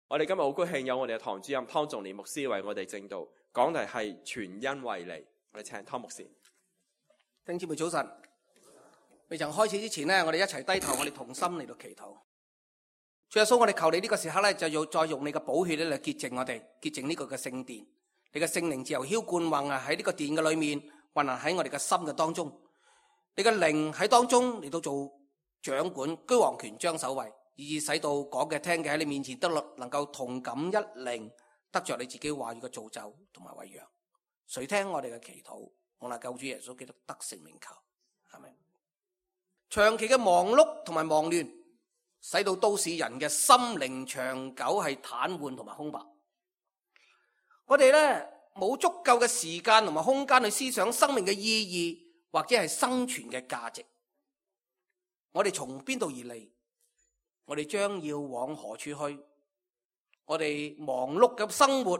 我哋今日好高興有我哋嘅堂主任湯仲年牧師為我哋證道，講題係全因為你。我哋請湯牧師。弟兄姊妹早晨，未曾開始之前呢，我哋一齊低頭，我哋同心嚟到祈禱。主耶穌，我哋求你呢個時刻咧，就要再用你嘅寶血咧嚟潔淨我哋，潔淨呢個嘅聖殿。你嘅聖靈自由澆灌運啊喺呢個殿嘅裏面，運行喺我哋嘅心嘅當中。你嘅靈喺當中嚟到做掌管，居王權將首位，以致使到講嘅聽嘅喺你面前得能夠同感一靈，得着你自己話語嘅造就同埋餵養。誰聽我哋嘅祈禱，我哋救主耶穌基督得勝名求，係咪？長期嘅忙碌同埋忙亂，使到都市人嘅心靈長久係癱瘓同埋空白。我哋咧冇足夠嘅時間同埋空間去思想生命嘅意義或者係生存嘅價值。我哋從邊度而嚟？我哋將要往何處去？我哋忙碌嘅生活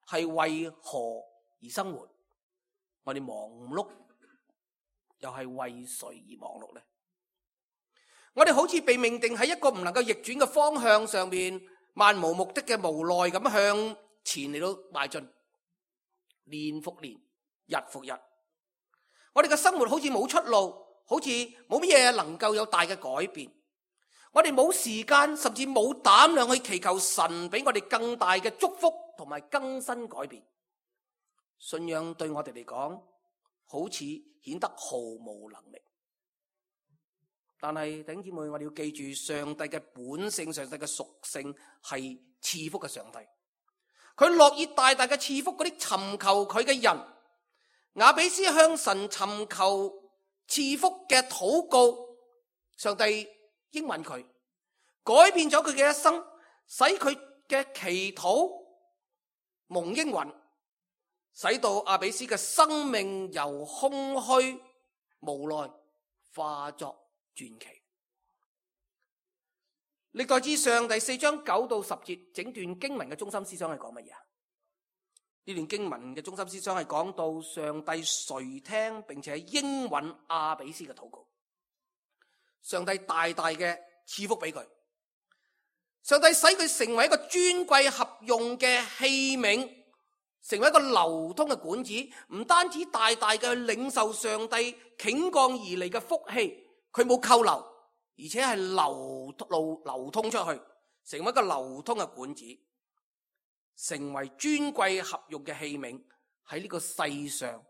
係為何而生活？我哋忙碌又係為誰而忙碌呢？我哋好似被命定喺一個唔能夠逆轉嘅方向上面，漫無目的嘅無奈咁向前嚟到邁進，年復年，日復日。我哋嘅生活好似冇出路，好似冇乜嘢能夠有大嘅改變。我哋冇時間，甚至冇膽量去祈求神俾我哋更大嘅祝福同埋更新改變。信仰對我哋嚟講，好似顯得毫無能力。但係弟兄姊妹，我哋要記住，上帝嘅本性，上帝嘅屬性係賜福嘅上帝。佢樂意大大嘅賜福嗰啲尋求佢嘅人。雅比斯向神尋求賜福嘅禱告，上帝應允佢，改變咗佢嘅一生，使佢嘅祈禱蒙應允，使到雅比斯嘅生命由空虛無奈化作傳奇。歷代志上第4章9到10節，整段經文嘅中心思想係講乜嘢？呢段經文嘅中心思想係講到上帝垂聽並且應允雅比斯嘅禱告，上帝大大嘅賜福俾佢，上帝使佢成為一個尊貴合用嘅器皿，成為一個流通嘅管子，唔單止大大嘅領受上帝傾降而嚟嘅福氣，佢冇扣留，而且係流通出去，成為一個流通嘅管子，成為尊貴合用嘅器皿，喺呢個世上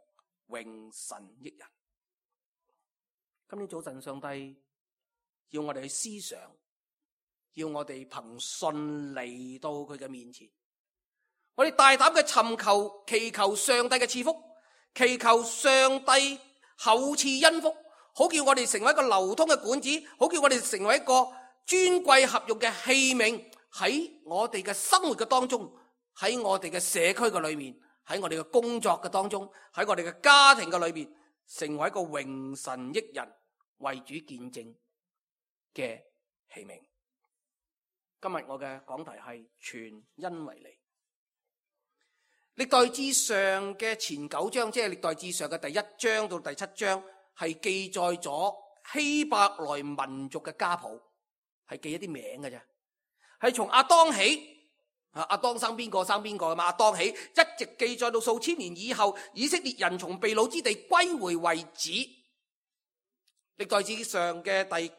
榮神益人。今天早晨上帝要我哋去思想，要我哋憑信嚟到佢嘅面前，我哋大膽嘅尋求祈求上帝嘅賜福，祈求上帝厚賜恩福，好叫我哋成為一個流通嘅管子，好叫我哋成為一個尊貴合用嘅器皿，喺我哋嘅生活嘅當中，喺我哋嘅社區嘅裏面，喺我哋嘅工作嘅當中，喺我哋嘅家庭嘅裏面，成為一個榮神益人、為主見證嘅器皿。今日我嘅講題係全因為你。歷代志上嘅前9章，即係歷代志上嘅第1章到第7章，係記載咗希伯來民族嘅家譜，係記一啲名嘅啫，係從亞當起。亞當生邊個生邊個嘛？亞當起一直記載到數千年以後，以色列人從被擄之地歸回為止。歷代志上嘅第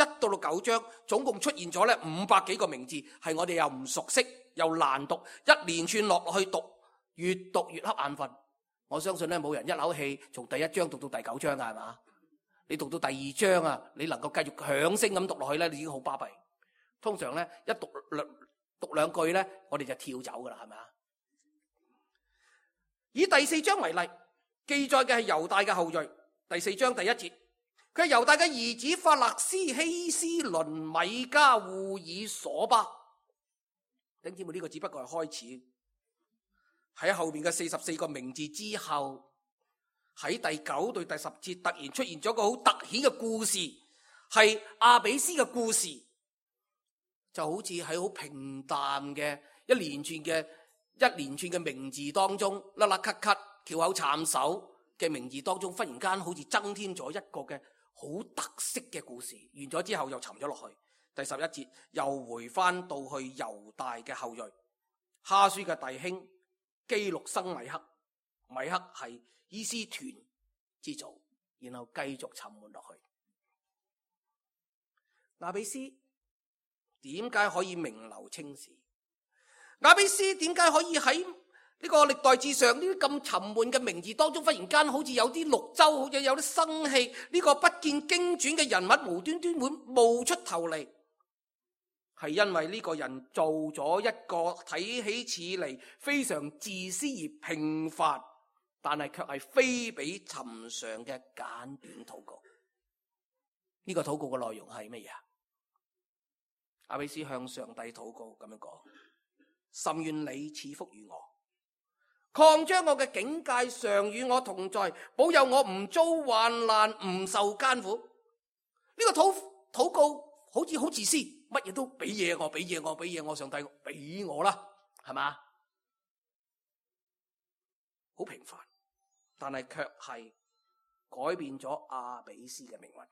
1到9章，總共出現咗咧500幾個名字，係我哋又唔熟悉又難讀，一連串落去讀，越讀越瞌眼瞓。我相信咧冇人一口氣從第1章讀到第9章噶，係嘛？你讀到第2章啊，你能夠繼續響聲咁讀落去咧，你已經好巴閉。通常咧一讀兩句咧，我哋就跳走噶啦，係咪啊？以第4章為例，記載嘅係猶大嘅後裔。第4章第1節，佢係猶大嘅兒子法勒斯、希斯倫、米迦、戶珥、瑣巴。弟兄姊妹，呢個只不過係開始，喺後面嘅44個名字之後，喺第9到第10節突然出現咗個好突顯嘅故事，係雅比斯嘅故事。就好似喺好平淡嘅一連串嘅名字當中，甩甩咳咳、翹口慘手嘅名字當中，忽然間好似增添咗一個嘅好特色嘅故事。完咗之後又沉咗落去，第11節又回翻到去猶大嘅後裔，哈書嘅弟兄基錄生米克，米克係伊斯團之祖，然後繼續沉悶落去。亞比斯點解可以名留青史？亞比斯點解可以喺呢個歷代志上呢啲咁沉悶嘅名字當中，忽然間好似有啲綠洲，好似有啲生氣？呢個不見經傳嘅人物無端端會冒出頭嚟，係因為呢個人做咗一個睇起似嚟非常自私而平凡，但係卻係非比尋常嘅簡短禱告。呢個禱告嘅內容係乜嘢啊？亞比斯向上帝禱告咁樣講：甚願你賜福於我，擴張我嘅境界，常與我同在，保佑我唔遭患難，唔受艱苦。呢個禱告好似好自私，乜嘢都俾嘢我，俾嘢我，俾嘢我，上帝俾我啦，係嘛？好平凡，但係卻係改變咗亞比斯嘅命運，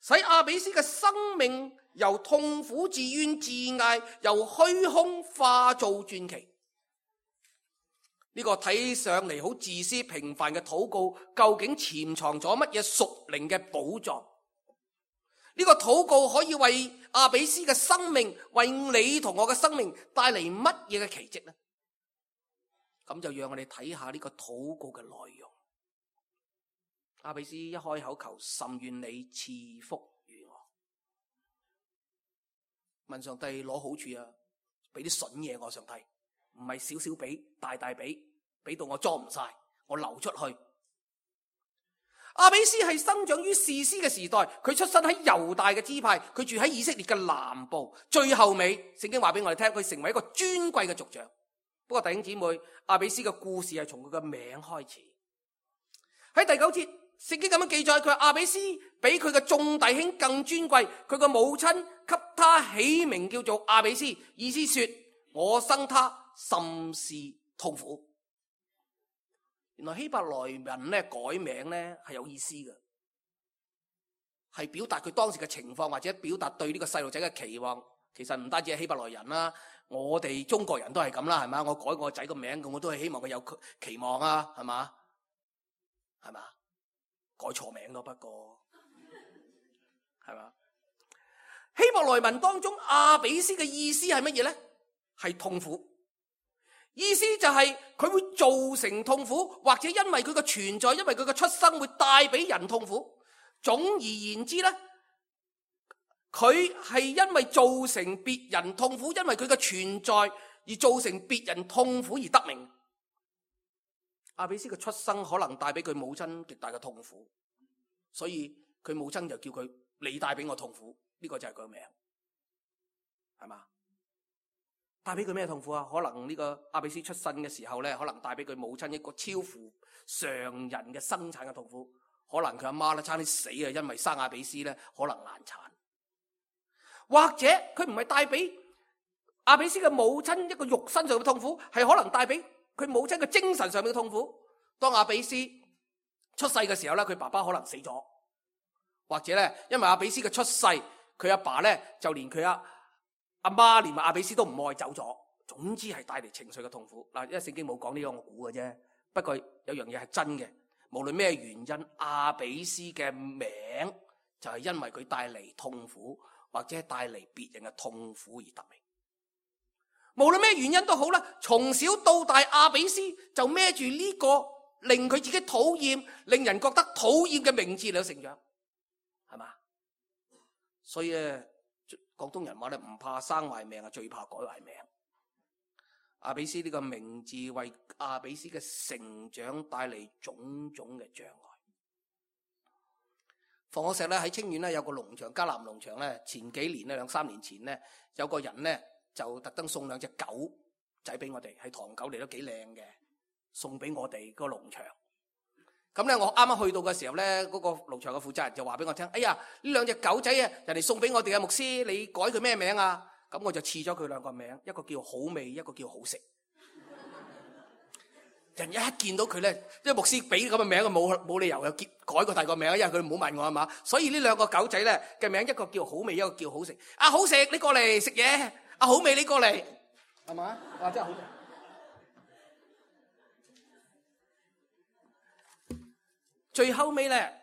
使亞比斯嘅生命由痛苦自怨自艾，由虛空化做傳奇。呢個睇上嚟好自私平凡嘅禱告，究竟潛藏咗乜嘢屬靈嘅寶藏？呢個禱告可以為亞比斯嘅生命，為你同我嘅生命帶嚟乜嘢嘅奇蹟呢？咁就讓我哋睇下呢個禱告嘅內容。亞比斯一開口求甚願你賜福於我，問上帝攞好處啊，俾啲筍嘢我，上帝唔係少少俾，大大俾到我裝唔晒，我流出去。亞比斯係生長於士師嘅時代，佢出生喺猶大嘅支派，佢住喺以色列嘅南部。最後尾聖經話俾我哋聽，佢成為一個尊貴嘅族長。不過弟兄姊妹，亞比斯嘅故事係從佢嘅名開始。喺第9節，聖經咁樣記載，佢話亞比斯比佢嘅眾弟兄更尊貴，佢嘅母親給他起名叫做亞比斯，意思說我生他甚是痛苦。原來希伯來人咧改名咧係有意思嘅，係表達佢當時嘅情況，或者表達對呢個細路仔嘅期望。其實唔單止係希伯來人啦，我哋中國人都係咁啦，係嘛？我改我仔個名，咁我都係希望佢有期望啊，係嘛？係嘛？改錯名咯，不過係嘛？希伯來文當中亞比斯嘅意思係乜嘢咧？係痛苦。意思就係佢會造成痛苦，或者因為佢嘅存在，因為佢嘅出生會帶俾人痛苦。總而言之咧，佢係因為造成別人痛苦，因為佢嘅存在而造成別人痛苦而得名。亞比斯嘅出生可能帶俾佢母親極大嘅痛苦，所以佢母親就叫佢你帶俾我痛苦，呢個就係佢個名，係嘛？帶俾佢咩痛苦啊？可能呢個亞比斯出生嘅時候咧，可能帶俾佢母親一個超乎常人嘅生產嘅痛苦。可能佢阿媽咧差啲死啊，因為生亞比斯咧可能難產。或者佢唔係帶俾亞比斯嘅母親一個肉身上嘅痛苦，係可能帶俾佢母親嘅精神上面嘅痛苦。當亞比斯出世嘅時候咧，佢爸爸可能死咗，或者咧因為亞比斯嘅出世，佢阿爸咧就連佢阿媽連埋亞比斯都唔愛走咗，總之係帶嚟情緒嘅痛苦。嗱，因為聖經冇講呢個，我估嘅啫。不過有樣嘢係真嘅，無論咩原因，亞比斯嘅名就係因為佢帶嚟痛苦，或者帶嚟別人嘅痛苦而得名。無論咩原因都好啦，從小到大，亞比斯就孭住呢個令佢自己討厭、令人覺得討厭嘅名字嚟成長，係嘛？所以廣東人話咧，唔怕生壞命啊，最怕改壞命。亞比斯呢個名字為亞比斯嘅成長帶嚟種種嘅障礙。房學石咧喺清遠咧有個農場，迦南農場咧，前幾年咧2-3年前咧，有個人咧就特登送2隻狗仔俾我哋，係唐狗嚟，都幾靚嘅，送俾我哋個農場。咁咧，我啱啱去到嘅時候咧，嗰個農場嘅負責人就話俾我聽：哎呀，呢2隻狗仔啊，人哋送俾我哋嘅牧師，你改佢咩名啊？咁我就賜咗佢2個名，一個叫好味，一個叫好食。人一見到佢咧，因為牧師俾咁嘅名，冇理由又改個第二個名，因為佢唔好問我係嘛。所以呢兩個狗仔咧嘅名，一個叫好味，一個叫好食。啊好食，你過嚟食嘢；啊好味，你過嚟，係嘛？哇，真係好味。最後尾咧，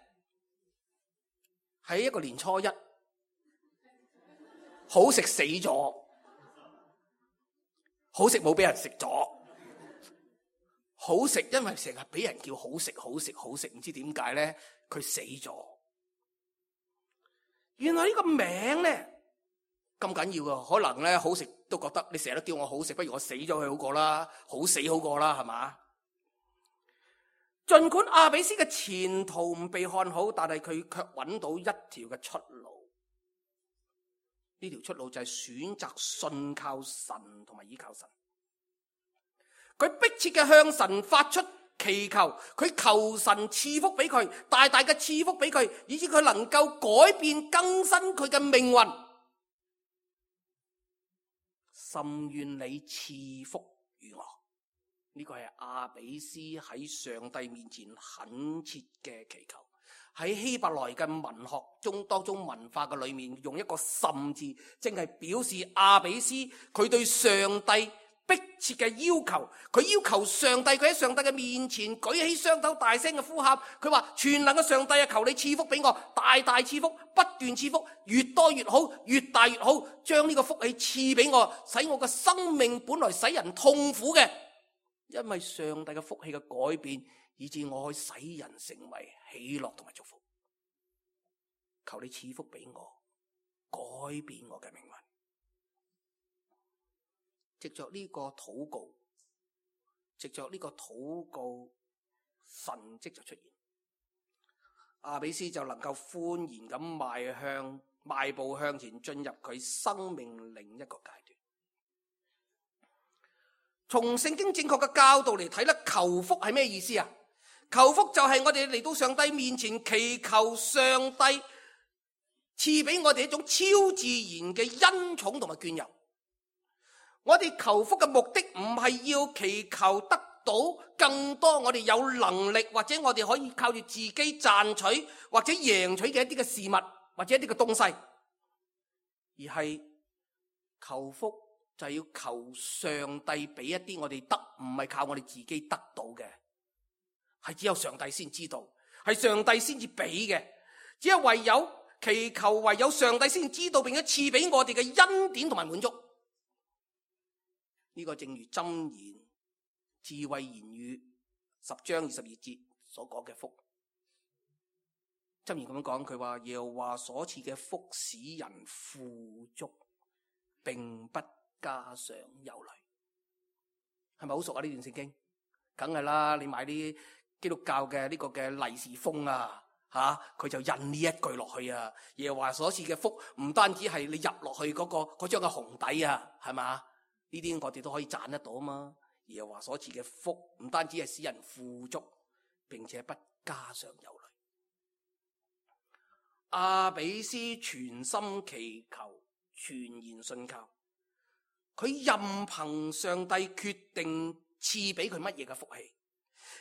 喺一個年初一，好食死咗，好食冇俾人食咗。好食，因為成日俾人叫好食，好食，好食，唔知點解咧，佢死咗。原來呢個名咧咁緊要噶，可能咧好食都覺得你成日都叫我好食，不如我死咗佢好過啦，好死好過啦，係嘛？盡管亞比斯嘅前途唔被看好，但係佢卻揾到一條嘅出路。呢條出路就係選擇信靠神同埋依靠神。佢迫切嘅向神發出祈求，佢求神賜福俾佢，大大嘅賜福俾佢，以致佢能夠改變更新佢嘅命運。甚願你賜福與我。呢個係亞比斯喺上帝面前懇切嘅祈求。喺希伯來嘅文學當中文化嘅裏面，用一個甚字，正係表示亞比斯佢對上帝迫切嘅要求。佢要求上帝，佢喺上帝嘅面前舉起雙手，大聲嘅呼喊。佢話：全能嘅上帝啊，求你賜福俾我，大大賜福，不斷賜福，越多越好，越大越好，將呢個福氣賜俾我，使我嘅生命本來使人痛苦嘅，因為上帝嘅福氣嘅改變，以致我可以使人成為喜樂同埋祝福。求你賜福俾我，改變我嘅命運。藉着呢個禱告，神蹟就出現，亞比斯就能夠歡然咁邁步向前，進入佢生命另一個階段。從聖經正確嘅教導嚟睇咧，求福係咩意思啊？求福就係我哋嚟到上帝面前祈求上帝賜俾我哋一種超自然嘅恩寵同埋眷佑。我哋求福嘅目的唔係要祈求得到更多我哋有能力，或者我哋可以靠住自己賺取或者贏取嘅一啲嘅事物或者一啲嘅東西，而係求福就係要求上帝俾一啲我哋得，唔係靠我哋自己得到嘅，係只有上帝先知道，係上帝先至俾嘅，只係唯有祈求，唯有上帝先知道，並且賜俾我哋嘅恩典同埋滿足。呢個正如箴言智慧言語10章22節所講嘅福。箴言咁樣講，佢話耶和華所賜嘅福使人富足，並不加上憂慮。係咪好熟啊？呢段聖經梗係啦，你買啲基督教嘅呢個嘅利是封啊，佢就印呢一句落去啊。耶和華所賜嘅福唔單止係你入落去嗰張嘅紅底啊，係嘛？呢啲我哋都可以賺得到啊嘛！耶和華所賜嘅福唔單止係使人富足，並且不加上憂慮。亞比斯全心祈求，全然信靠，佢任憑上帝決定賜俾佢乜嘢嘅福氣，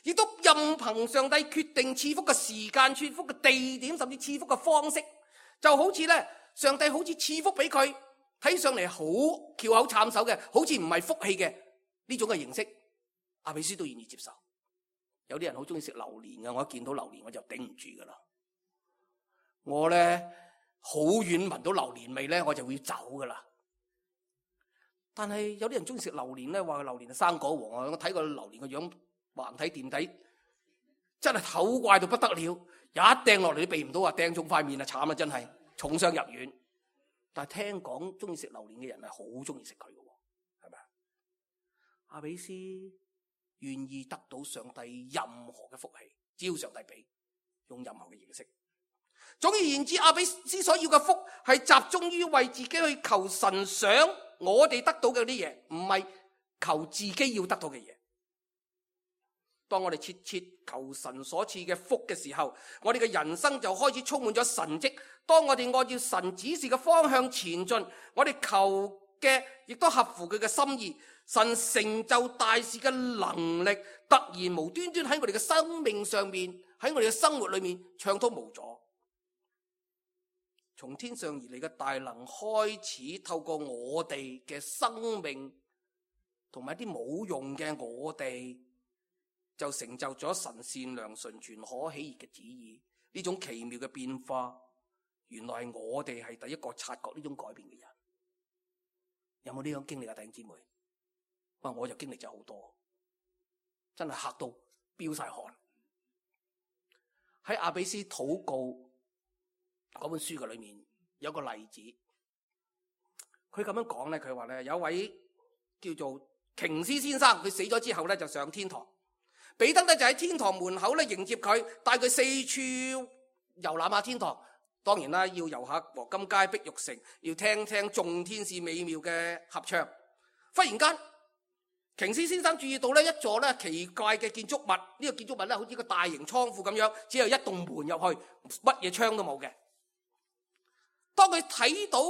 亦都任憑上帝決定賜福嘅時間、賜福嘅地點，甚至賜福嘅方式。就好似咧，上帝好似賜福俾佢，睇上嚟好翹口慘手嘅，好似唔係福氣嘅呢種嘅形式，亞比斯都願意接受。有啲人好中意食榴蓮嘅，我一見到榴蓮我就頂唔住噶啦。我咧好遠聞到榴蓮味咧，我就會走噶啦。但係有啲人中意食榴蓮咧，話榴蓮係生果王啊！我睇過榴蓮個樣，橫睇掂睇，真係醜怪到不得了。一掟落嚟都避唔到啊！掟中塊面啊，慘啊！真係重傷入院。但係聽講中意食榴蓮嘅人係好中意食佢嘅，係咪？亞比斯願意得到上帝任何嘅福氣，只要上帝俾，用任何嘅形式。總而言之，亞比斯所要嘅福係集中於為自己去求神想我哋得到嘅啲嘢，唔係求自己要得到嘅嘢。當我哋切切求神所賜嘅福嘅時候，我哋嘅人生就開始充滿咗神蹟。當我哋按照神指示嘅方向前進，我哋求嘅，亦都合乎佢嘅心意。神成就大事嘅能力，突然無端端喺我哋嘅生命上面，喺我哋嘅生活裏面暢通無阻。從天上而嚟嘅大能開始透過我哋嘅生命同埋一啲冇用嘅我哋，就成就咗神善良純全可喜悅嘅旨意。呢種奇妙嘅變化，原來係我哋係第一個察覺呢種改變嘅人。有冇呢種經歷啊，弟兄姊妹？我就經歷咗好多，真係嚇到飆晒汗。喺阿比斯禱告嗰本書嘅裏面有個例子，佢咁樣講咧，佢話咧，有位叫做瓊斯先生，佢死咗之後咧就上天堂，彼得咧就喺天堂門口咧迎接佢，帶佢四處遊覽下天堂。當然啦，要遊下黃金街、碧玉城，要聽聽眾天使美妙嘅合唱。忽然間，瓊斯先生注意到咧一座咧奇怪嘅建築物，呢個建築物咧好似個大型倉庫咁樣，只有一棟門入去，乜嘢窗都冇嘅。當佢睇到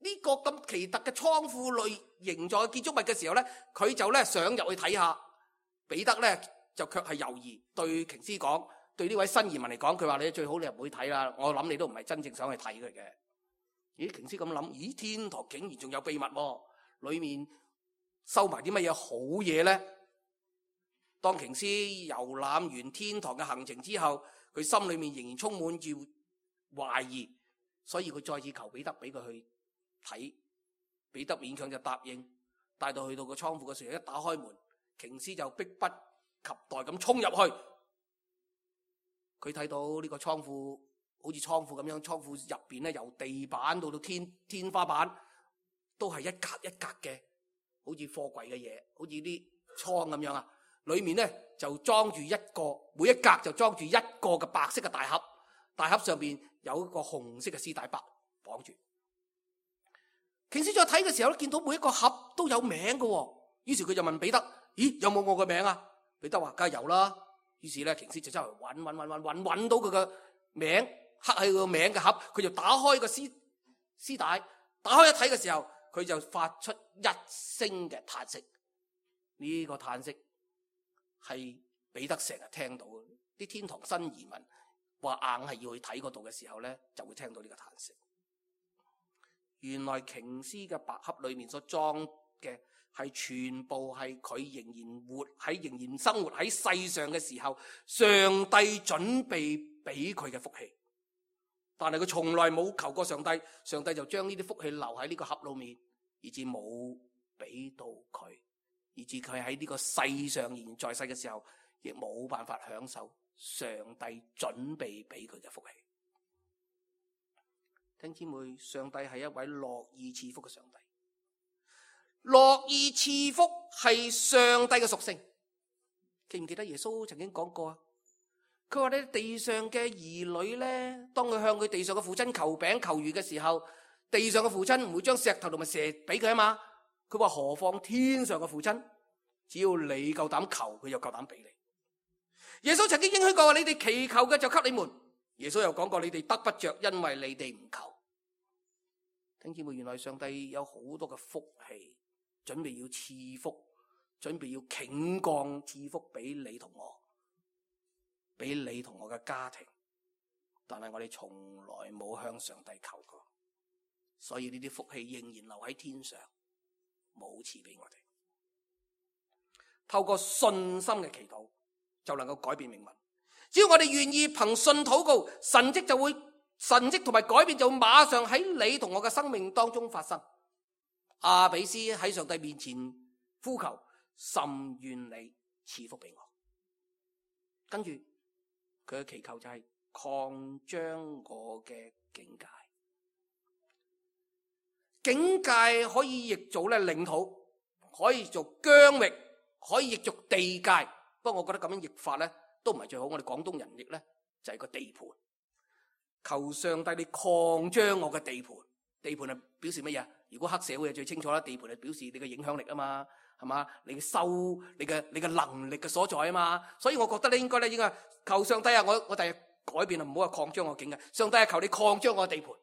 呢個咁奇特嘅倉庫類形狀嘅建築物嘅時候咧，佢就咧想入去睇下。彼得咧就卻係猶豫，對瓊斯講，對呢位新移民嚟講，佢話你最好你唔會睇啦，我諗你都唔係真正想去睇佢嘅。咦，瓊斯咁諗，咦，天堂竟然仲有秘密喎，裏面收埋啲乜嘢好嘢咧？當瓊斯遊覽完天堂嘅行程之後，佢心裏面仍然充滿住懷疑，所以佢再次求彼得俾佢去睇。彼得勉強就答應，帶到去到個倉庫嘅時候，一打開門，瓊斯就迫不及待咁衝入去。佢睇到呢個倉庫好似倉庫咁樣，倉庫入邊咧由地板到天花板都係一格一格嘅，好似貨櫃嘅嘢，好似啲倉咁樣啊。裏面咧就裝住一個，每一格就裝住一個嘅白色嘅大盒，大盒上邊有一個紅色嘅絲帶包綁住。瓊斯再睇嘅時候咧，見到每一個盒都有名嘅，於是佢就問彼得：咦，有冇我嘅名啊？彼得話：梗係有啦。於是咧，瓊斯就周圍揾到佢嘅名，刻喺佢個名嘅盒，佢就打開個絲帶，打開一睇嘅時候，佢就發出一聲嘅嘆息。呢個嘆息係彼得成日聽到嘅，啲天堂新移民話硬係要去睇嗰度嘅時候咧，就會聽到呢個嘆息。原來瓊斯嘅白盒裏面所裝嘅係全部係佢仍然生活喺世上嘅時候，上帝準備俾佢嘅福氣。但係佢從來冇求過上帝，上帝就將呢啲福氣留喺呢個盒裏面，以致冇俾到佢，以致佢喺呢個世上仍然在世嘅時候，亦冇辦法享受上帝準備俾佢嘅福氣。弟兄姊妹，上帝係一位樂意賜福嘅上帝。樂意賜福係上帝嘅屬性。記唔記得耶穌曾經講過啊？佢話咧，地上嘅兒女咧，當佢向佢地上嘅父親求餅求魚嘅時候，地上嘅父親唔會將石頭同埋蛇俾佢啊嘛。佢話何況天上嘅父親，只要你夠膽求，佢就夠膽俾你。耶穌曾經應許過，你哋祈求嘅就給你們。耶穌又講過，你哋得不着，因為你哋唔求。弟兄姊妹，原來上帝有好多嘅福氣，準備要賜福，準備要傾降賜福俾你同我，俾你同我嘅家庭。但係我哋從來冇向上帝求過，所以呢啲福氣仍然留喺天上，冇賜俾我哋。透過信心嘅祈禱就能夠改變命運。只要我哋願意憑信禱告，神蹟同埋改變就會馬上喺你同我嘅生命當中發生。阿比斯喺上帝面前呼求，甚願你賜福俾我。跟住佢嘅祈求就係擴張我嘅境界。境界可以譯做領土，可以做疆域，可以譯做地界。不過我覺得咁樣譯法咧都唔係最好。我哋廣東人譯咧就係個地盤。求上帝你擴張我嘅地盤。地盤係表示乜嘢？如果黑社會係最清楚啦，地盤係表示你嘅影響力啊嘛，係嘛？你嘅能力嘅所在啊嘛。所以我覺得咧應該求上帝啊，我第日改變啊，唔好話擴張我境界。上帝啊，求你擴張我嘅地盤。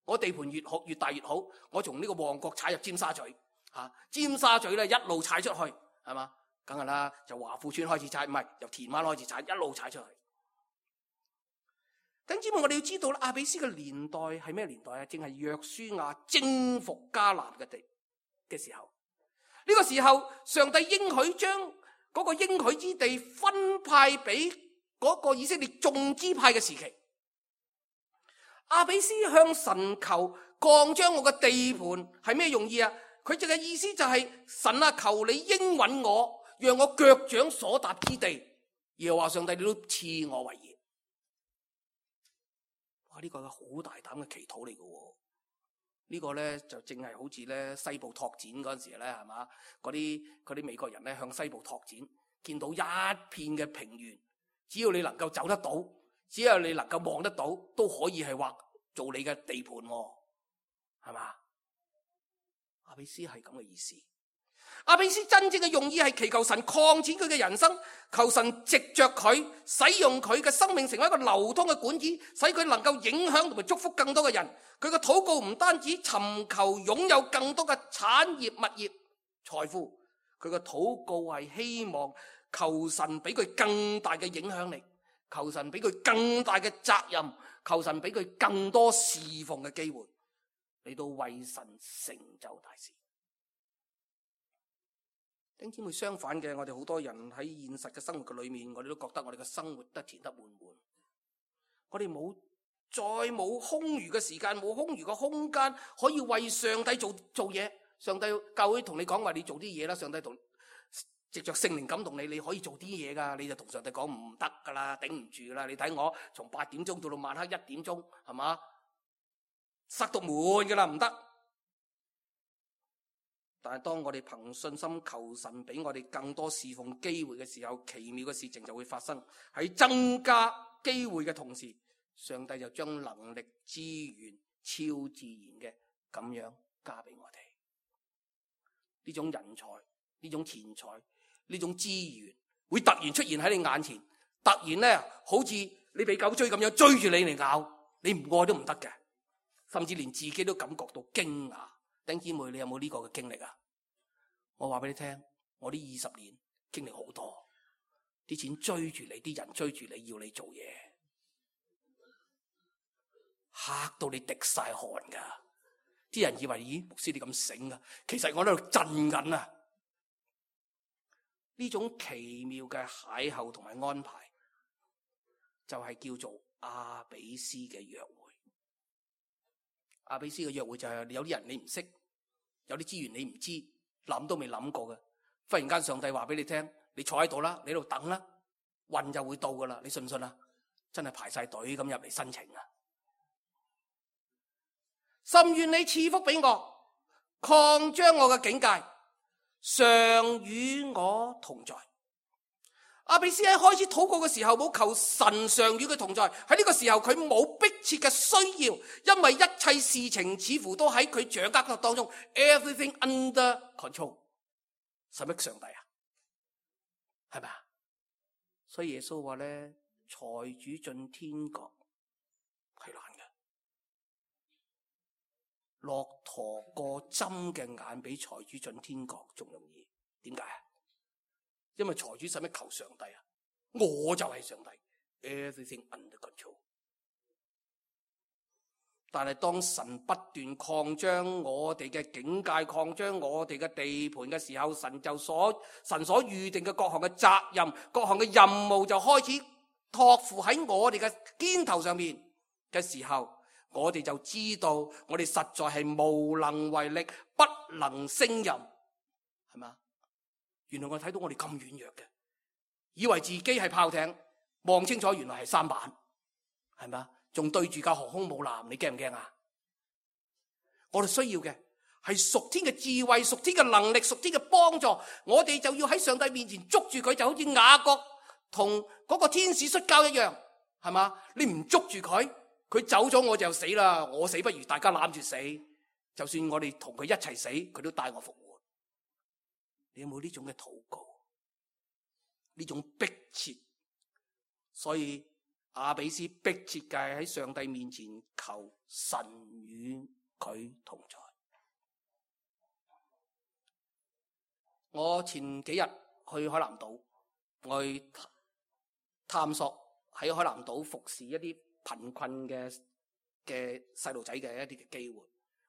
我地盤越好越大越好，我從呢個旺角踩入尖沙咀，尖沙咀咧一路踩出去，係嘛？梗係啦，由華富村開始踩，唔係由田灣開始踩，一路踩出去。弟兄姊妹，我哋要知道啦，亞比斯嘅年代係咩年代啊？正係約書亞征服迦南嘅地嘅時候。呢個時候，上帝應許將嗰個應許之地分派俾嗰個以色列眾支派嘅時期。亞比斯向神求擴張我嘅地盤係咩用意啊？佢淨係意思就係神啊，求你應允我，讓我腳掌所踏之地，耶和華上帝你都賜我為業。哇！呢個係好大膽嘅祈禱嚟嘅。呢個咧就正係好似咧西部拓展嗰陣時咧，係嘛？嗰啲美國人咧向西部拓展，見到一片嘅平原，只要你能夠走得到，只要你能夠望得到，都可以係劃做你嘅地盤，係嘛？亞比斯係咁嘅意思。亞比斯真正嘅用意係祈求神擴展佢嘅人生，求神藉着佢使用佢嘅生命成為一個流通嘅管子，使佢能夠影響同埋祝福更多嘅人。佢嘅禱告唔單止尋求擁有更多嘅產業、物業、財富，佢嘅禱告係希望求神俾佢更大嘅影響力，求神俾佢更大嘅責任，求神俾佢更多侍奉嘅機會，嚟到為神成就大事。弟兄姊妹，相反嘅，我哋好多人喺現實嘅生活嘅裏面，我哋都覺得我哋嘅生活都填得滿滿，我哋再冇空餘嘅時間，冇空餘嘅空間可以為上帝做嘢。上帝教會同你講話，你做啲嘢啦。上帝藉着聖靈感動你，你可以做啲嘢噶。你就同上帝講唔得噶啦，頂唔住啦。你睇我從8點鐘到晚黑1點鐘，係嘛？塞到滿噶啦，唔得。但係當我哋憑信心求神俾我哋更多侍奉機會嘅時候，奇妙嘅事情就會發生。喺增加機會嘅同時，上帝就將能力、資源、超自然嘅咁樣加俾我哋。呢種人才、呢種錢財、呢種資源會突然出現喺你眼前，突然咧好似你俾狗追咁樣追住你嚟咬，你唔愛都唔得嘅，甚至連自己都感覺到驚訝。弟兄姊妹，你有冇呢個嘅經歷啊？我話俾你聽，我呢20年經歷好多，啲錢追住你，啲人追住你，要你做嘢，嚇到你滴晒汗噶。啲人以為咦，牧師你咁醒啊？其實我喺度震緊啊！呢種奇妙嘅邂逅同埋安排，就係叫做亞比斯嘅約會。亞比斯嘅約會就係有啲人你唔識，有啲資源你唔知，諗都未諗過嘅。忽然間上帝話俾你聽，你坐喺度啦，你喺度等啦，運就會到噶啦。你信唔信啊？真係排晒隊咁入嚟申請啊！甚願你賜福俾我，擴張我嘅境界，常與我同在。亞比斯喺開始禱告嘅時候，冇求神常與佢同在。喺呢個時候，佢冇迫切嘅需要，因為一切事情似乎都喺佢掌握當中。Everything under control。使乜上帝啊？係咪啊？所以耶穌話咧，財主進天國係難嘅，駱駝過針嘅眼比財主進天國仲容易。點解啊？因為財主使乜求上帝啊？我就係上帝 ，everything under control。但係當神不斷擴張我哋嘅境界，擴張我哋嘅地盤嘅時候，神所預定嘅各項嘅責任、各項嘅任務就開始託付喺我哋嘅肩頭上面嘅時候，我哋就知道我哋實在係無能為力，不能勝任，係嘛？原來我睇到我哋咁軟弱嘅，以為自己係炮艇，望清楚原來係舢板，係嘛？仲對住架航空母艦，你驚唔驚啊？我哋需要嘅係屬天嘅智慧、屬天嘅能力、屬天嘅幫助，我哋就要喺上帝面前捉住佢，就好似雅各同嗰個天使摔跤一樣，係嘛？你唔捉住佢，佢走咗我就死啦，我死不如大家攬住死，就算我哋同佢一齊死，佢都帶我復活。你有冇呢種嘅禱告？呢種迫切，所以雅比斯迫切嘅喺上帝面前求神與佢同在。我前幾日去海南島，我去探索喺海南島服侍一啲貧困嘅細路仔嘅一啲嘅機會。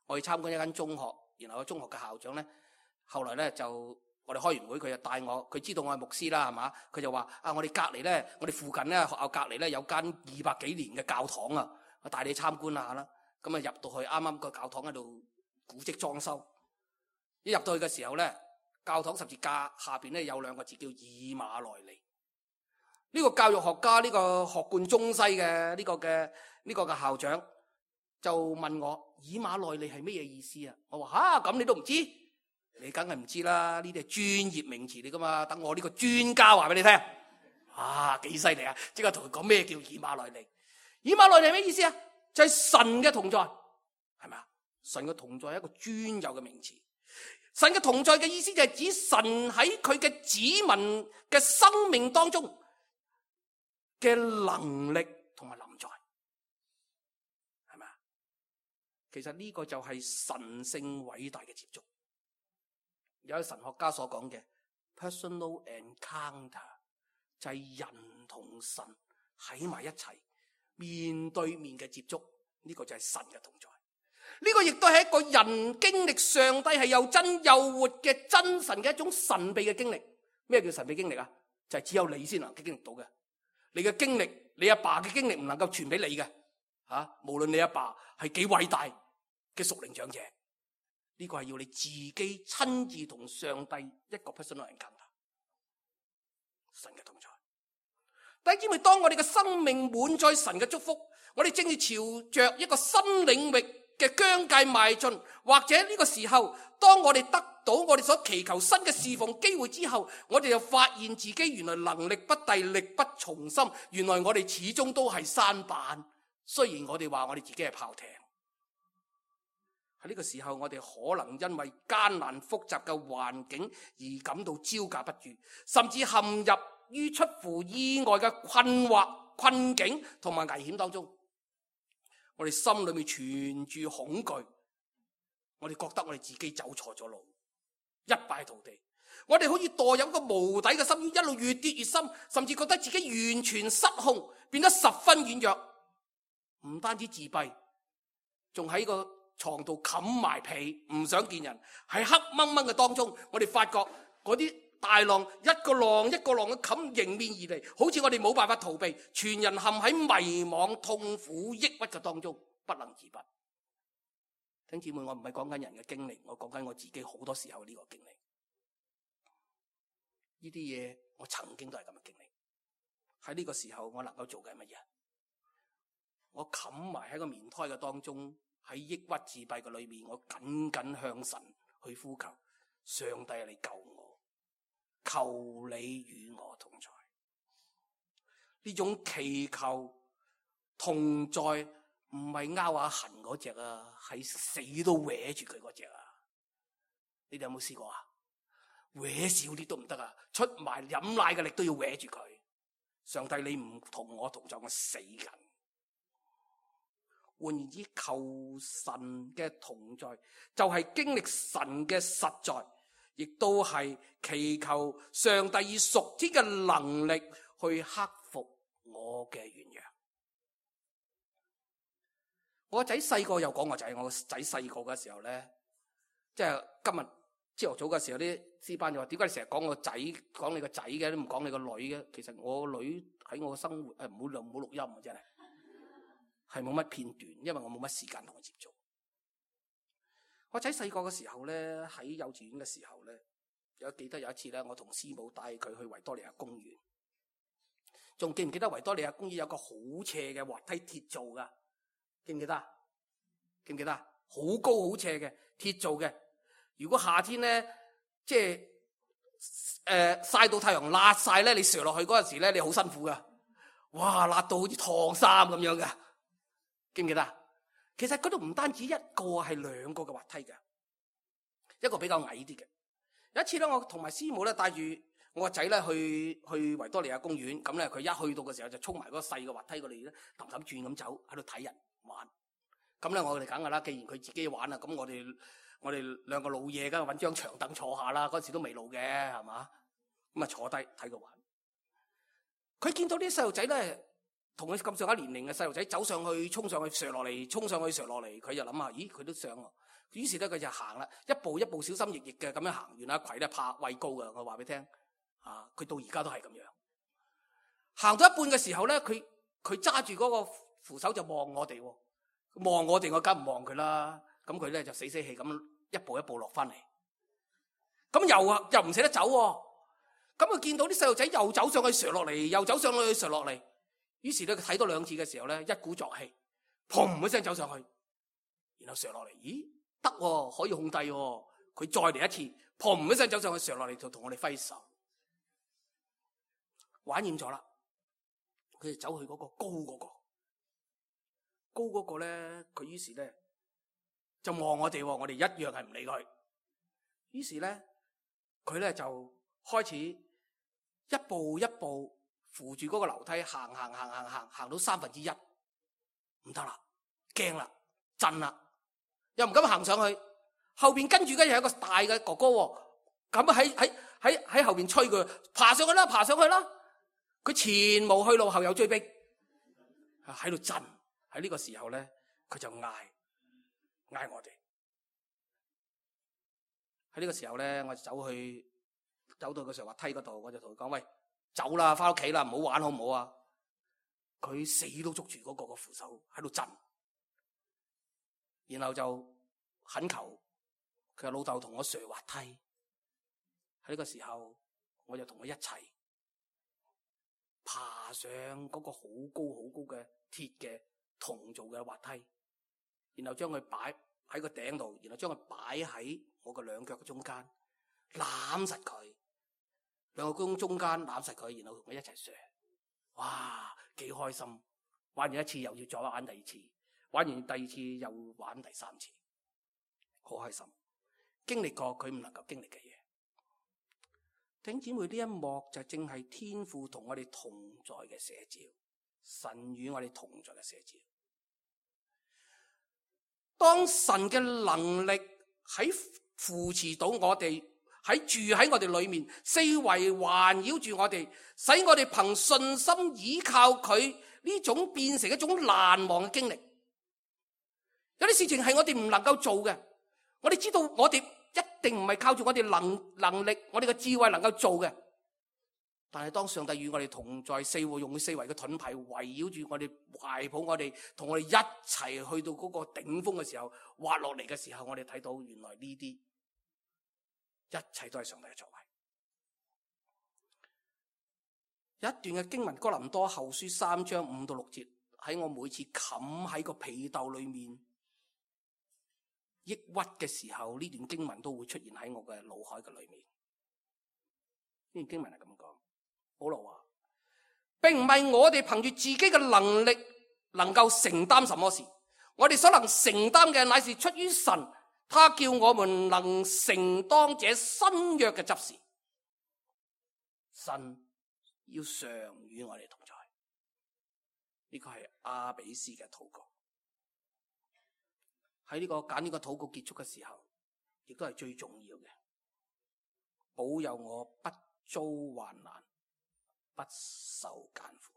我去參觀一間中學，然後個中學嘅校長咧，後來咧就我哋開完會，佢就帶我，佢知道我係牧師啦，係嘛？佢就話我哋隔離咧，我哋附近咧學校隔離咧有間200幾年嘅教堂啊，我帶你參觀下啦。咁啊入到去，啱啱個教堂喺度古蹟裝修，一入到去嘅時候咧，教堂十字架下邊咧有2個字叫以馬內利。呢個教育學家，呢個學貫中西嘅呢個嘅校長就問我：以馬內利係咩嘢意思啊？我話咁你都唔知？你梗係唔知啦，呢啲係專業名詞嚟噶嘛。等我呢個專家話俾你聽。幾犀利啊！即刻同佢講咩叫以馬內利。以馬內利係咩意思啊？就係神嘅同在，係咪啊？神嘅同在係一個專有嘅名詞。神嘅同在嘅意思就係指神喺佢嘅子民嘅生命當中嘅能力同埋臨在，係咪啊？其實呢個就係神聖偉大嘅接觸。有神學家所講嘅 personal encounter 就係人同神喺埋一齊面對面嘅接觸，呢個就係神嘅同在。呢個亦都係一個人經歷上帝係又真又活嘅真神嘅一種神秘嘅經歷。咩叫神秘經歷啊？就係只有你先能夠經歷到嘅。你嘅經歷，你阿爸嘅經歷唔能夠傳俾你嘅。無論你阿爸係幾偉大嘅屬靈長者，呢個係要你自己親自同上帝一個 personal encounter， 神嘅同在。弟兄姊妹，當我哋嘅生命滿載神嘅祝福，我哋正要朝着一個新領域嘅疆界邁進，或者呢個時候，當我哋得到我哋所祈求新嘅侍奉機會之後，我哋就發現自己原來能力不逮，力不從心，原來我哋始終都係舢舨。雖然我哋話我哋自己係炮艇，喺呢個時候我哋可能因為艱難複雜嘅環境而感到招架不住，甚至陷入於出乎意外嘅困惑、困境同埋危險當中。我哋心裏面存住恐懼，我哋覺得我哋自己走錯咗路，一敗塗地。我哋好似墮入一個無底嘅深淵，一路越跌越深，甚至覺得自己完全失控，變得十分軟弱。唔單止自閉，仲喺個床度冚埋被，唔想見人。喺黑掹掹嘅當中，我哋發覺嗰啲大浪一個浪一個浪嘅冚迎面而嚟，好似我哋冇辦法逃避，全人陷喺迷惘、痛苦、抑鬱嘅當中，不能自拔。弟兄姊妹，我唔係講緊人嘅經歷，我講緊我自己好多時候呢個經歷。呢啲嘢我曾經都係咁嘅經歷。喺呢個時候，我能夠做緊乜嘢？我冚埋喺個棉胎嘅當中，喺抑鬱自閉嘅裏面，我緊緊向神去呼求，上帝你救我，求你與我同在。呢種祈求同在唔係拗下痕嗰隻啊，係死都搲住佢嗰隻啊！你哋有冇試過啊？搲少啲都唔得啊，出埋飲奶嘅力都要搲住佢。上帝你唔同我同在，我死緊。換言之，求神嘅同在就係經歷神嘅實在，亦都係祈求上帝以屬天嘅能力去克服我嘅軟弱。我個仔細個又講，我仔細個嘅時候咧，即係今日朝頭早嘅時候，啲師班就話：點解你成日講我仔，講你個仔嘅，都唔講你個女嘅？其實我個女喺我嘅生活唔好錄音啊，真係。係冇乜片段，因為我冇乜時間同佢接觸。我仔細個嘅時候咧，喺幼稚園嘅時候咧，記得有一次咧，我同師母帶佢去維多利亞公園。仲記唔記得維多利亞公園有個好斜嘅滑梯鐵做噶？記唔記得？記唔記得？好高好斜嘅鐵做嘅。如果夏天咧，即係曬到太陽辣晒咧，你瀡落去嗰陣時咧，你好辛苦噶。哇，辣到好似燙衫咁樣噶。記唔記得？其實嗰度唔單止一個，係2個嘅滑梯嘅，一個比較矮啲嘅。有一次咧，我同埋師母咧帶住我個仔咧去維多利亞公園，咁咧佢一去到嘅時候就衝埋嗰個細嘅滑梯嗰度咧，氹氹轉咁走喺度睇人玩。咁咧我哋梗噶啦，既然佢自己玩啦，咁我哋兩個老嘢梗係揾張長凳坐下啦。嗰時都未老嘅，係嘛？咁啊坐低睇佢玩。佢見到啲細路仔咧，同佢咁上下年齡嘅細路仔走上去，衝上去上落嚟，衝上去上落嚟，佢就諗下，咦佢都上喎。於是咧佢就行啦，一步一步小心翼翼嘅咁樣行完啦。葵咧怕畏高嘅，我話俾你聽，佢到而家都係咁樣。行到一半嘅時候咧，佢揸住嗰個扶手就望我哋喎。望我哋，我梗唔望佢啦。咁佢咧就死死氣咁一步一步落翻嚟。咁又唔捨得走喎。咁佢見到啲細路仔又走上去瀡落嚟，又走上去瀡落嚟。於是咧佢睇多兩次嘅時候咧，一鼓作氣，砰一聲走上去，然後瀡落嚟。咦，得喎，可以控制喎。佢再嚟一次，砰一聲走上去瀡落嚟，就同我哋揮手。玩厭咗啦，佢就走去嗰個高嗰個咧，佢於是咧就望我哋，我哋一樣係唔理佢。於是咧佢咧就開始一步一步扶住嗰個樓梯行到1/3，唔得啦，驚啦，震啦，又唔敢行上去。後邊跟住嘅又係一個大嘅哥哥，咁喺後邊催佢爬上去啦，爬上去啦。佢前無去路，後有追逼，喺度震。喺呢個時候咧，佢就嗌我哋。喺呢個時候咧，我就走到個上滑梯嗰度，我就同佢講：喂，走啦，翻屋企啦，唔好玩好唔好啊？佢死都捉住嗰個扶手喺度震，然後就懇求佢老豆同我上滑梯。喺呢個時候，我就同佢一齊爬上嗰個好高嘅鐵嘅銅做嘅滑梯，然後將佢擺喺個頂度，然後將佢擺喺我個兩腳嘅中間，攬實佢，兩個中間攬實佢，然後同佢一齊上。哇，幾開心！玩完一次又要再玩第二次，玩完第二次又玩第三次，好開心。經歷過佢唔能夠經歷嘅嘢。弟兄姊妹，呢一幕就正係天父同我哋同在嘅寫照，神與我哋同在嘅寫照。當神嘅能力喺扶持到我哋，住喺我哋裏面，四圍環繞住我哋，使我哋憑信心依靠佢，呢種變成一種難忘嘅經歷。有啲事情係我哋唔能夠做嘅，我哋知道我哋一定唔係靠住我哋能力，我哋嘅智慧能夠做嘅。但係當上帝與我哋同在，用佢四圍嘅盾牌圍繞住我哋，懷抱我哋，同我哋一齊去到嗰個頂峰嘅時候，滑落嚟嘅時候，我哋睇到原來呢啲一切都係上帝嘅作為。有一段嘅經文，哥林多後書3章5到6節，喺我每次冚喺個被竇裏面抑鬱嘅時候，呢段經文都會出現喺我嘅腦海嘅裏面。呢段經文係咁講。保羅話，並唔係我哋憑住自己嘅能力能夠承擔什麼事，我哋所能承擔嘅乃是出於神，他叫我們能承當這新約嘅執事。神要常與我哋同在，呢個係阿比斯嘅禱告。喺呢個揀呢個禱告結束嘅時候，亦都係最重要嘅，保佑我不遭患難，不受艱苦。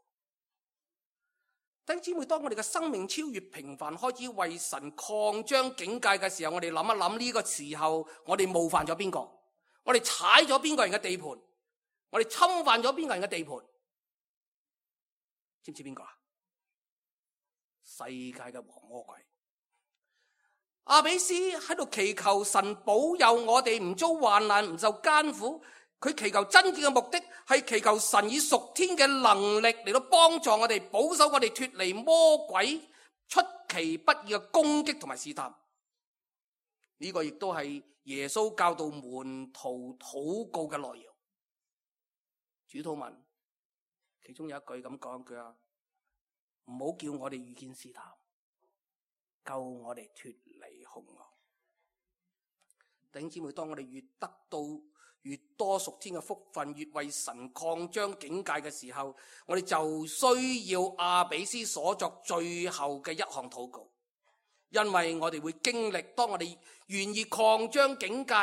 弟兄姊妹，當我哋嘅生命超越平凡，開始為神擴張境界嘅時候，我哋諗一諗呢個時候，我哋冒犯咗邊個？我哋踩咗邊個人嘅地盤？我哋侵犯咗邊個人嘅地盤？知唔知邊個啊？世界嘅王魔鬼。阿比斯喺度祈求神保佑我哋唔遭患難，唔受艱苦。佢祈求真正嘅目的係祈求神以屬天嘅能力嚟到幫助我哋，保守我哋脫離魔鬼出其不意嘅攻擊同埋試探。呢個亦都係耶穌教導門徒禱告嘅內容。主禱文其中有一句咁講，佢話唔好叫我哋遇見試探，救我哋脫離兇惡。弟兄姊妹，當我哋越越多屬天嘅福分，越為神擴張境界嘅時候，我哋就需要阿比斯所作最後嘅一項禱告。因為我哋會經歷，當我哋願意擴張境界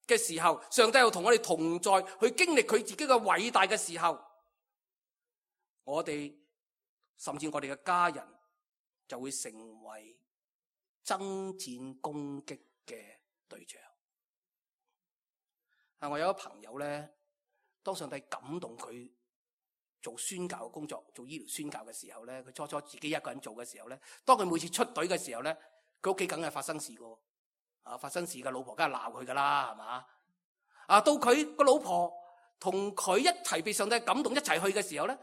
嘅時候，上帝又同我哋同在，去經歷佢自己嘅偉大嘅時候，我哋甚至我哋嘅家人就會成為爭戰攻擊嘅對象。我有一個朋友咧，當上帝感動佢做宣教嘅工作，做醫療宣教嘅時候咧，佢初初自己一個人做嘅時候咧，當佢每次出隊嘅時候咧，佢屋企梗係發生事噶，發生事嘅老婆梗係鬧佢噶啦，係嘛？到佢個老婆同佢一齊被上帝感動一齊去嘅時候咧，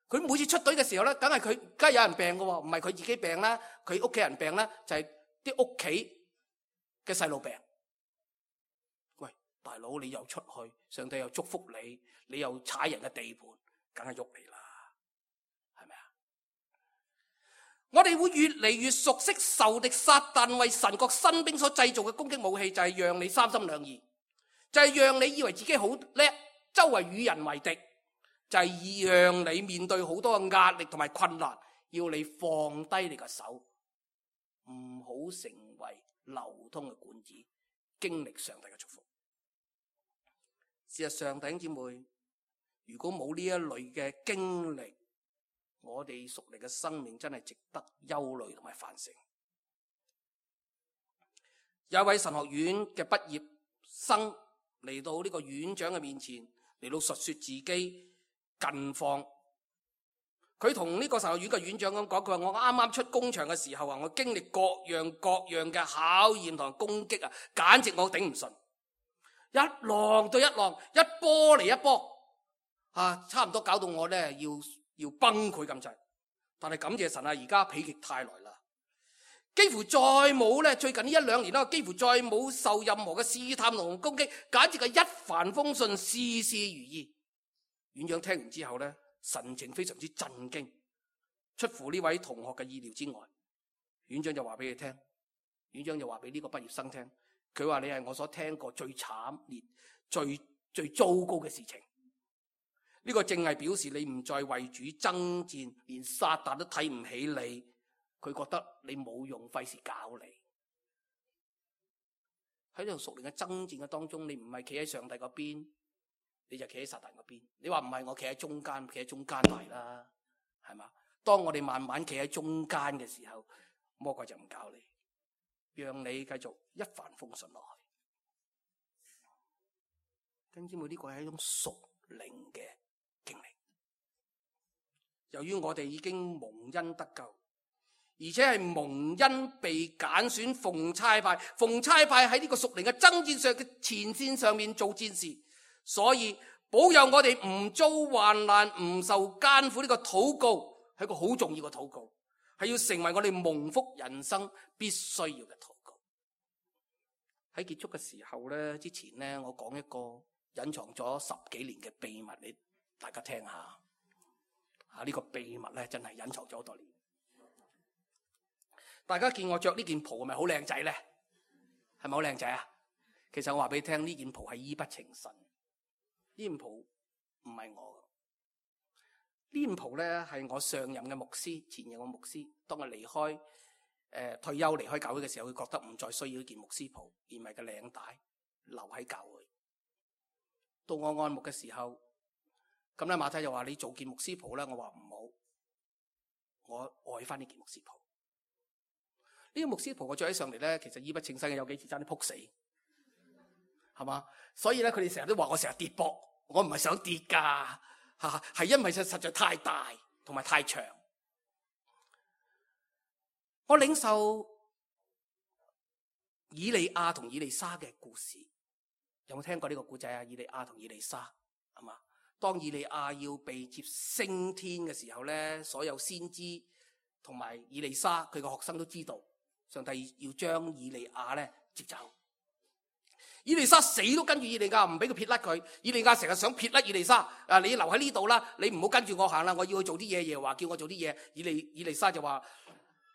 佢每次出隊嘅時候咧，梗係有人病噶，唔係佢自己病啦，佢屋企人病啦，就係啲屋企嘅細路病。大佬，你又出去，上帝又祝福你，你又踩人嘅地盤，梗係喐你啦，係咪啊？我哋會越嚟越熟悉仇敵撒旦為神國新兵所製造嘅攻擊武器，就係讓你三心兩意，就係讓你以為自己好叻，周圍與人為敵，就係讓你面對好多嘅壓力同埋困難，要你放低你嘅手，唔好成為流通嘅管子，經歷上帝嘅祝福。事實上，弟兄姊妹，如果冇呢一類嘅經歷，我哋屬靈嘅生命真係值得憂慮同埋反省。有一位神學院嘅畢業生嚟到呢個院長嘅面前，嚟到述說自己近況。佢同呢個神學院嘅院長咁講，佢話我啱啱出工場嘅時候我經歷各樣嘅考驗同攻擊簡直我頂唔順。一浪對一浪，一波嚟一波，差唔多搞到我咧要崩潰咁滯。但係感謝神而家否極泰來啦，幾乎再冇咧，最近呢一兩年啦，幾乎再冇受任何嘅試探同攻擊，簡直係一帆風順，事事如意。院長聽完之後咧，神情非常之震驚，出乎呢位同學嘅意料之外。院長就話俾佢聽，院長就話俾呢個畢業生聽。佢話你係我所聽過最慘烈、最糟糕嘅事情。呢個正係表示你唔再為主爭戰，連撒旦都睇唔起你。佢覺得你冇用，費事搞你。喺呢度屬靈嘅爭戰嘅當中，你唔係企喺上帝嗰邊，你就企喺撒旦嗰邊。你話唔係，我企喺中間，企喺中間嚟啦，係嘛？當我哋慢慢企喺中間嘅時候，魔鬼就唔搞你。讓你繼續一帆風順落去。弟兄姊妹，呢個係一種屬靈嘅經歷。由於我哋已經蒙恩得救，而且係蒙恩被揀選奉差派喺呢個屬靈嘅爭戰上嘅前線上面做戰士，所以保佑我哋唔遭患難、唔受艱苦。呢個禱告係一個好重要嘅禱告，係要成為我哋蒙福人生必須要嘅禱告。喺結束嘅時候咧，之前咧，我講一個隱藏咗10幾年嘅秘密，你大家聽下。呢個秘密咧，真係隱藏咗好多年。大家見我着呢件袍係咪好靚仔咧？係咪好靚仔啊？其實我話俾你聽，呢件袍係醫不情神。呢件袍唔係我嘅。呢件袍咧係我上任嘅牧師，前任嘅牧師，當佢離開退休離開教會嘅時候，佢覺得唔再需要呢件牧師袍，而唔係個領帶留喺教會。到我按牧嘅時候，咁咧馬太就話你做件牧師袍咧，我話唔好，我愛翻呢件牧師袍。呢個牧師袍我着起上嚟咧，其實醫不稱身嘅，有幾次爭啲仆死，係嘛？所以咧，佢哋成日都話我成日跌膊，我唔係想跌噶，係因為實在太大同埋太長。我領受以利亞同以利沙嘅故事，有冇聽過呢個故仔啊？以利亞同以利沙係嘛？當以利亞要被接升天嘅時候咧，所有先知同埋以利沙佢個學生都知道，上帝要將以利亞咧接走。以利沙死都跟住以利亞，唔俾佢撇甩佢。以利亞成日想撇甩以利沙，你留喺呢度啦，你唔好跟住我行啦，我要去做啲嘢。耶和華叫我做啲嘢。以利沙就話：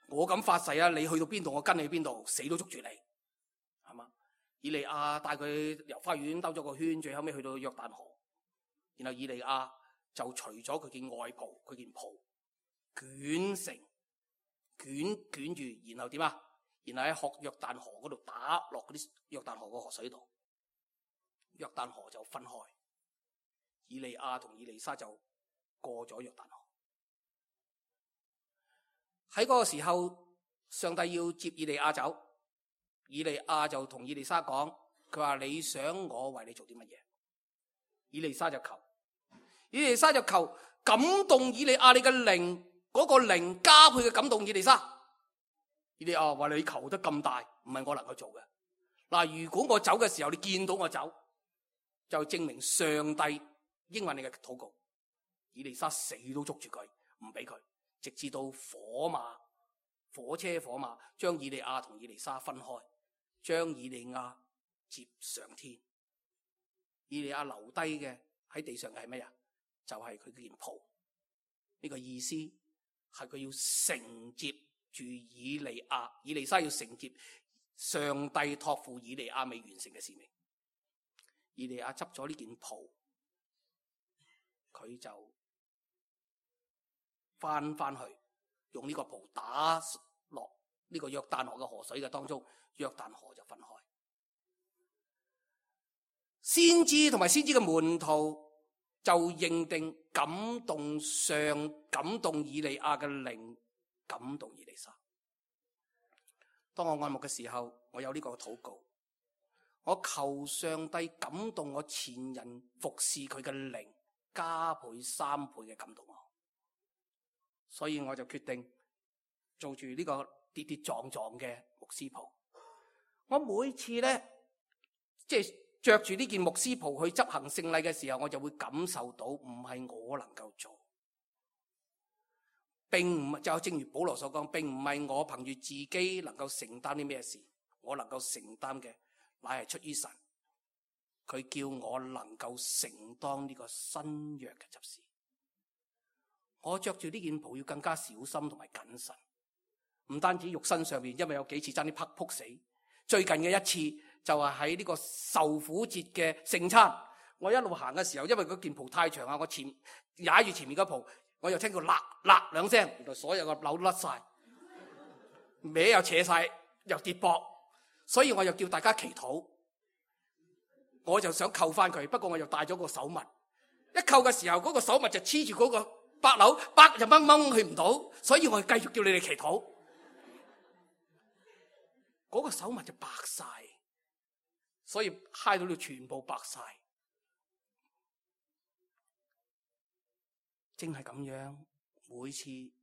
我敢發誓啊，你去到邊度，我跟你去邊度，死都捉住你，係嘛？而以利亞帶佢遊花園兜咗個圈，最後尾去到約旦河，然後以利亞就除咗佢件外袍，佢件袍捲住，然後點啊？然後喺約旦河嗰度打落嗰啲約旦河個河水度，約旦河就分開，以利亞同以利沙就過咗約旦河。喺嗰個時候，上帝要接以利亞走，以利亞就同以利沙講，佢話你想我為你做啲乜嘢？以利沙就求感動以利亞你嘅靈，嗰個靈加倍嘅感動以利沙。以利亞話你求得咁大，唔係我能夠做嘅。嗱，如果我走嘅時候你見到我走，就證明上帝應允你嘅禱告。以利沙死都捉住佢，唔俾佢，直至到火車將以利亞同以利沙分開，將以利亞接上天。以利亞留低嘅喺地上嘅係咩啊？就係佢件袍。呢個意思係佢要承接住以利沙要承接上帝託付以利亞未完成嘅使命。以利亞執咗呢件袍，佢就翻去用呢個袍打落呢個約旦河嘅河水嘅當中，約旦河就分開。先知同埋先知嘅門徒就認定感動以利亞嘅靈，感動以利沙。當我按牧嘅時候，我有呢個禱告，我求上帝感動我前人服侍佢嘅靈，加倍3倍嘅感動我。所以我就決定做住呢個跌跌撞撞嘅牧師袍。我每次咧，即係着住呢件牧師袍去執行聖禮嘅時候，我就會感受到唔係我能夠做，並唔就正如保羅所講，並唔係我憑住自己能夠承擔啲咩事，我能夠承擔嘅乃係出於神，佢叫我能夠承當呢個新約嘅執事。我着住呢件袍要更加小心同埋謹慎，唔單止肉身上面，因為有幾次差啲撲死。最近嘅一次就係喺呢個受苦節嘅聖餐，我一路行嘅時候，因為嗰件袍太長啊，我踩住前面嗰袍，我又聽到辣兩聲，原來所有嘅紐甩晒，歪又扯晒，又跌膊，所以我又叫大家祈禱，我就想扣翻佢，不過我又帶咗個手襪，一扣嘅時候嗰個手襪就黐住嗰個白紐，白就掹去唔到，所以我繼續叫你哋祈禱，嗰個手襪就白晒，所以揩到你全部白晒。正係咁樣，每次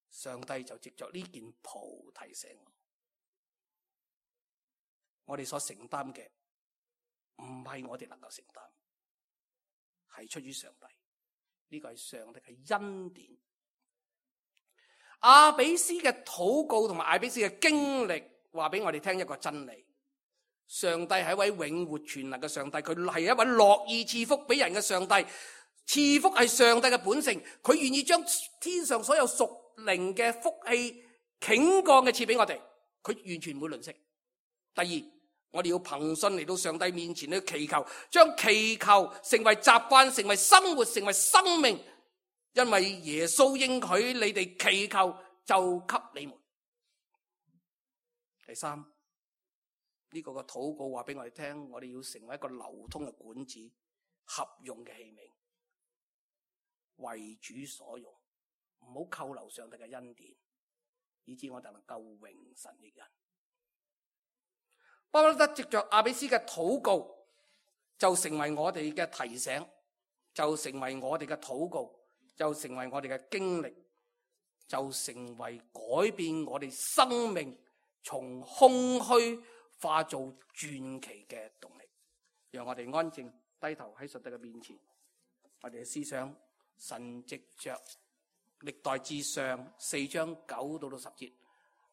上帝就藉着呢件袍提醒我哋所承擔嘅唔係我哋能夠承擔，係出於上帝。呢個係上帝嘅恩典。阿比斯嘅禱告同埋阿比斯嘅經歷話俾我哋聽一個真理：上帝係一位永活全能嘅上帝，佢係一位樂意賜福俾人嘅上帝。賜福係上帝嘅本性，佢願意將天上所有屬靈嘅福氣傾降嘅賜俾我哋，佢完全唔會吝嗇。第二，我哋要憑信嚟到上帝面前去祈求，將祈求成為習慣，成為生活，成為生命，因為耶穌應許你哋祈求就給你們。第三，呢個嘅禱告話俾我哋聽，我哋要成為一個流通嘅管子，合用嘅器皿，為主所用，唔好扣留上帝嘅恩典，以致我哋能夠榮神益人。巴不得藉着阿比斯嘅禱告，就成為我哋嘅提醒，就成為我哋嘅禱告，就成為我哋嘅經歷，就成為改變我哋生命從空虛化做傳奇嘅動力。讓我哋安靜低頭喺上帝嘅面前，我哋嘅思想。神藉着歷代志上4章9到10節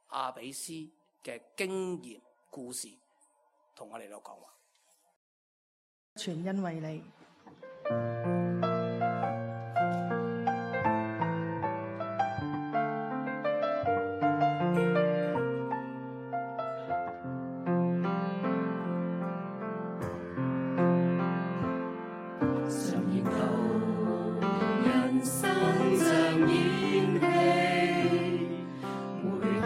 阿比斯嘅經驗故事，同我哋嚟講話。全因為你。常研究人生像演戲，回看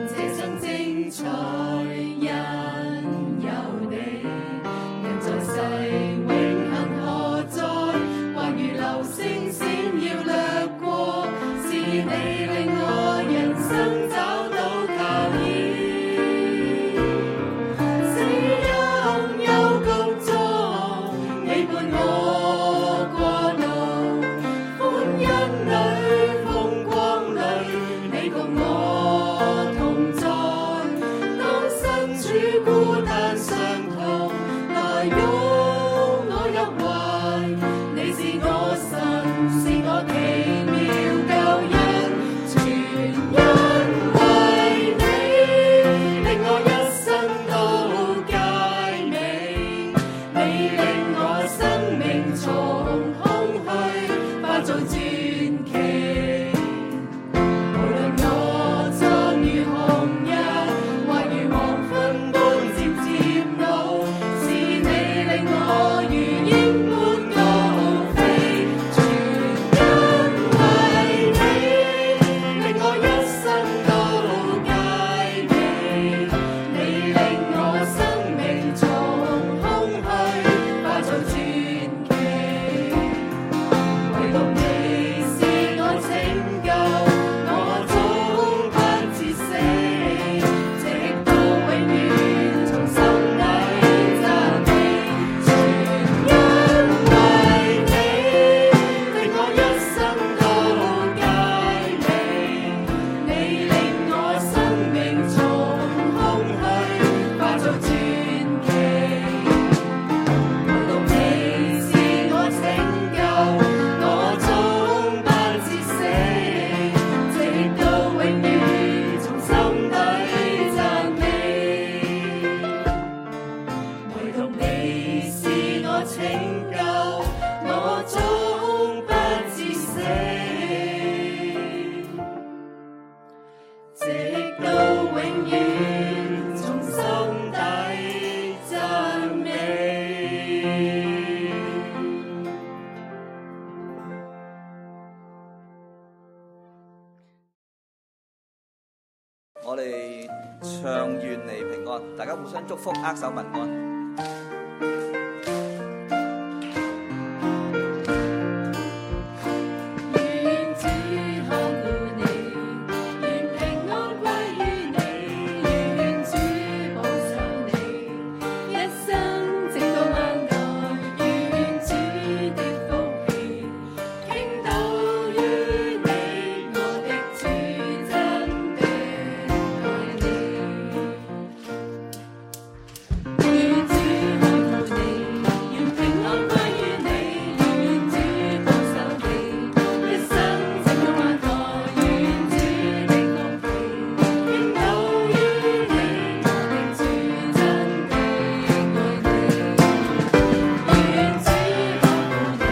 這生精彩因有你，人在世永恆何在？還如流星閃耀掠過，是你令我人生找到靠倚。死蔭幽谷中，你伴我過路，歡欣裏風光裏，你共我同在。當身處孤單傷痛，來擁我入懷，你是我神，是我奇妙救恩，全因為你，令我一生都佳美。你令我生命從空虛化做傳奇。無論我蒼如紅日，或如黃昏般漸漸老，是你令我如鷹般高飛。全因為你，令我一生都佳美。你令我生命從空虛化做傳奇。唯獨你是我拯救，我終不至死，直到永遠從心底讚美。全因為你，令我一生都佳美。你令我生命從空虛化做傳奇。唯獨你是我拯救，我終不至死，直到永遠從心底讚美。唯獨你是我拯救，我終不至死，直到永遠從心底讚美。我哋唱願你平安，大家互相祝福，握手問安。願主看顧你，願平安歸於你，願主保守你，一生直到萬代，願主的福氣傾倒於你，我的主真的愛你。願主看顧你，願平安歸於你，願主保守你，一生直到萬代，願主的福氣傾倒於你，我的主真的愛你。願主看顧你，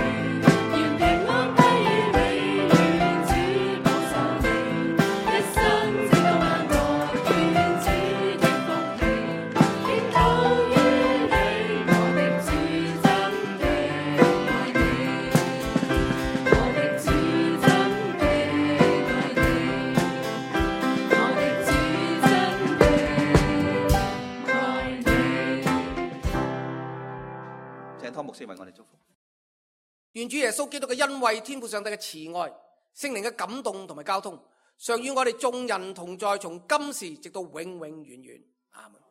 願平安歸於你，願主保守你，一生直到萬代，願主的福氣傾倒於你，我的主真的愛你。我的主真的愛你，我的主真的愛你。請湯牧師為我哋祝福。願主耶穌基督嘅恩惠、天父上帝嘅慈愛、聖靈嘅感動同埋交通，常與我哋眾人同在，從今時直到永永遠遠。阿門。